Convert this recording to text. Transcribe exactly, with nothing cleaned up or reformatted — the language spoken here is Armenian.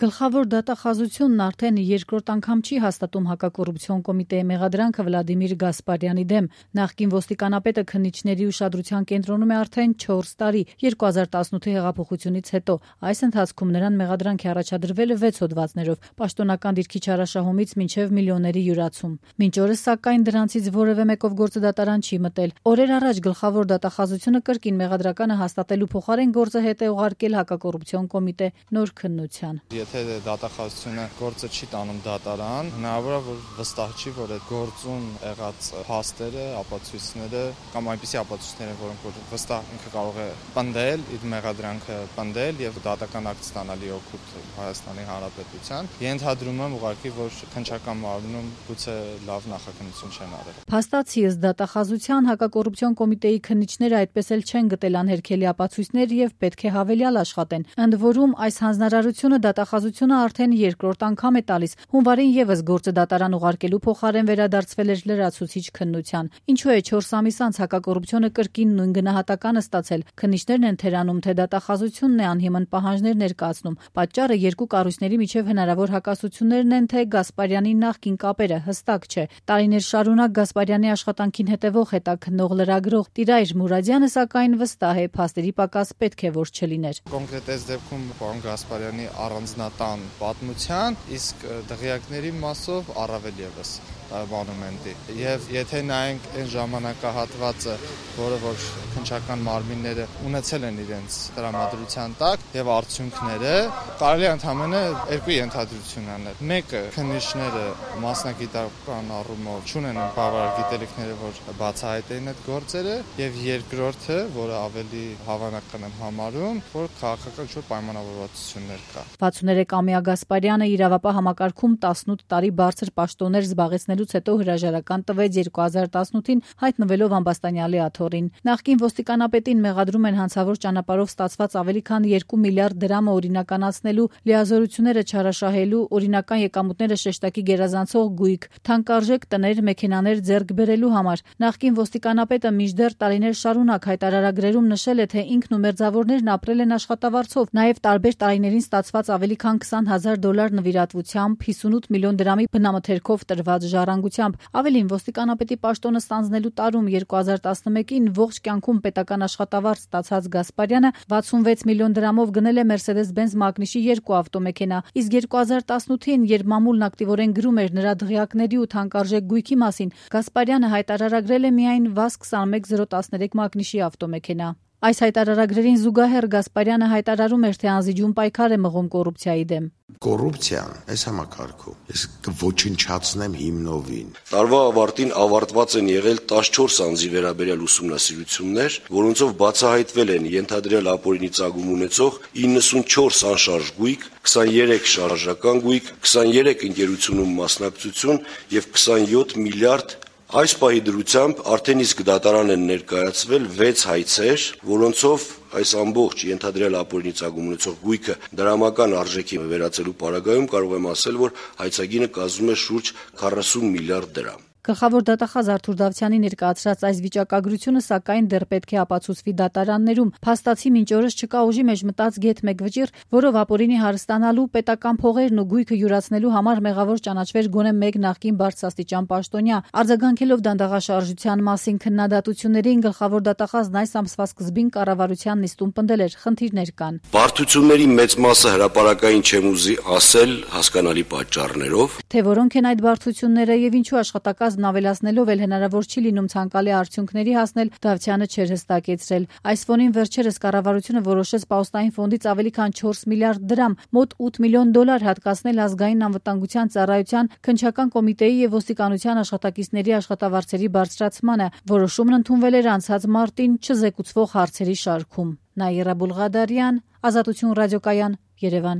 Գլխավոր դատախազությունն արդեն երկրորդ անգամ չի հաստատում հակակոռուպցիոն կոմիտեի մեղադրանքը Վլադիմիր Գասպարյանի դեմ։ Նախկին ոստիկանապետը քննիչների ուշադրության կենտրոնում է արդեն չորս տարի՝ երկու հազար տասնութի հեղափոխությունից հետո։ Այս ընթացքում նրան մեղադրանք է առաջադրվել վեց հոդվածներով՝ պաշտոնական դիրքի չարաշահումից մինչև միլիոնների յուրացում։ Մինչ օրս, սակայն, դրանցից որևէ մեկով գործը դատարան չի մտել։ Օրեր առաջ գլխավոր դատախազությունը կրկին մեղադրականը հաստատելու փոխարեն գործը հետ է ուղարկել հակակոռուպցիոն կոմիտե նոր քննության։ Եթե դատախազությունը գործը չի տանում դատարան, հնարավոր է, որ վստահ չի, որ այդ գործում եղած փաստերը, ապացույցները կամ այնպիսի ապացույցները, որոնք որ վստահ ինքը կարող է պնդել, իր մեղադրանքը պնդել եւ դատական ակտ ստանալի օգուտ Հայաստանի Հանրապետության, ենթադրում եմ ուղղակի, որ քննչական մարմնում գուցե լավ նախաքննություն չեն արել։ Փաստացի ըստ դատախազության հակակոռուպցիոն կոմիտեի քննիչները այդպես էլ չեն գտել անհերքելի ապացույցներ եւ պետք է հավելյալ աշխատեն։ Ընդ որում, այս հանձնարարությունը դատախազությունը արդեն երկրորդ անգամ է տալիս։ Հունվարին եւս գործը դատարան ուղարկելու փոխարեն վերադարձվել էր լրացուցիչ քննության։ Ինչու է չորս ամիս անց հակակոռուպցիոնը կրկին նույն գնահատականը ստացել։ Քննիչներն են թերանում, թե դատախազությունն է անհիմն պահանջներ ներկայացնում։ Պատճառը երկու կառույցների միջև հնարավոր հակասություններն են, թե Գասպարյանի նախկին կապերը հստակ չէ։ Տարիներ շարունակ Գասպարյանի աշխատանքին հետևող հետաքննող լրագրող Տիրայր Մուրադյանը սակայն վստահ է, փաստերի պակաս պետք է որ չլիներ։ Կոնկրետ այս դեպքում պարոն Գասպարյանի առանձնատան պատմության, իսկ դղյակների մասով առավել ևս մոնումենտի։ Եվ եթե նայենք այն ժամանակահատվածը, որը որ քննչական մարմինները ունեցել են իրենց տրամադրության տակ եւ արդյունքները, կարելի է ընդհանրապես երկու ենթադրություն անել։ Մեկը քննիչները մասնագիտական առումով չունեն բավարար գիտելիքները, որ բացահայտեն այդ գործերը, եւ երկրորդը, որը ավելի հավանական եմ համարում, որ քաղաքական ինչ-որ պայմանավորվածություններ կա։ վաթսուներեքամյա Գասպարյանը իրավապահ համակարգում տասնութ տարի բարձր պաշտոններ զբաղեցնելուց հետո հրաժարական տվեց երկու հազար տասնութին հայտնվելով ամբաստանյալի աթոռին։ Նախկին ոստիկանապետին մեղադրում են հանցավոր ճանապարհով ստացված ավելի քան երկու միլիարդ դրամը օրինականացնելու, լիազորությունները չարաշահելու, օրինական եկամուտները շեշտակի գերազանցող գույք, թանկարժեք տներ, մեքենաներ ձեռք բերելու համար։ Նախկին ոստիկանապետը մինչդեռ տարիներ շարունակ հայտարարագրերում նշել է, թե ինքն ու մերձավորներն ապրել են աշխատավարձով, նաև տարբեր տարիներին ստացված ավելի քան քսան հազար դոլար նվիրատվությամբ, հիսունութ միլիոն դրամի բնամթերքով տրված ժառանգությամբ։ Ավելին, ոստիկանապետի պաշտոնը ստանձնելու տարում երկու հազար տասնմեկին ողջ կյանքում պետական աշխատավարձ ստացած Գասպարյանը վաթսունվեց միլիոն դրամով գնել է Mercedes-Benz Magnus-ի երկու ավտոմեքենա, իսկ երկու հազար տասնութին, երբ մամուլն ակտիվորեն գրում էր նրա դղյակների ու թանկարժեք գույքի մասին, Գասպարյանը հայտարարագրել է միայն վազ քսանմեկ զիրո տասներեք Magnus-ի ավտոմեքենա։ Այս հայտարարագրերին զուգահեռ Գասպարյանը հայտարարում էր, թե անզիջում պայքար է մղում կոռուպցիայի դեմ։ Կոռուպցիան այս համակարգում ես կոչնչացնեմ հիմնովին։ Տարվա ավարտին ավարտված են եղել տասնչորս անձի վերաբերյալ ուսումնասիրություններ, որոնցով բացահայտվել են ենթադրյալ ապօրինի ծագում ունեցող իննսունչորս անշարժ գույք, քսաներեք շարժական գույք, քսաներեք ընկերությունում մասնակցություն եւ քսանյոթ միլիարդ Այս պահի դրությամբ արդեն իսկ դատարան են ներկայացվել վեց հայցեր, որոնցով այս ամբողջ ենթադրյալ ապօրինի ծագում ունեցող գույքը դրամական արժեքի վերածելու պարագայում կարող եմ ասել, որ հայցագինը կազմում է շուրջ քառասուն միլիարդ դրամ։ Գլխավոր դատախազ Արթուր Դավթյանի ներկայացրած այս վիճակագրությունը սակայն դեռ պետք է ապացուցվի դատարաններում։ Փաստացի մինչ օրս չկա ուժի մեջ մտած գեթ մեկ վճիռ, որով ապօրինի հարստանալու, պետական փողերն ու գույքը յուրացնելու համար մեղավոր ճանաչվեր գոնե մեկ նախկին բարձրաստիճան պաշտոնյա։ Արձագանքելով դանդաղաշարժության մասին քննադատություններին, գլխավոր դատախազն այս ամսվա սկզբին կառավարության նիստում պնդել էր՝ խնդիրներ կան։ Բարդությունների մեծ մասը հրապարակային չեմ ուզի ասել հասկանալի պատճառներով, թե որոնք են այդ բարդությունները եւ ինչու աշխատակազմն ավելացնելով էլ հնարավոր չի լինում ցանկալի արդյունքների հասնել, Դավթյանը չէր հստակեցրել։ Այս ֆոնին վերջերս կառավարությունը որոշեց պահոստային ֆոնդից ավելի քան չորս միլիարդ դրամ, մոտ ութ միլիոն դոլար հատկացնել ազգային անվտանգության ծառայության, քննչական կոմիտեի եւ ոստիկանության աշխատակիցների աշխատավարձերի բարձրացմանը։ Որոշումն ընդունվել էր անցած մարտին չզեկուցվող հարցերի շարքում։ Նաիրա Բուլղադարյան, Ազատություն ռադիոկայան, Երևան։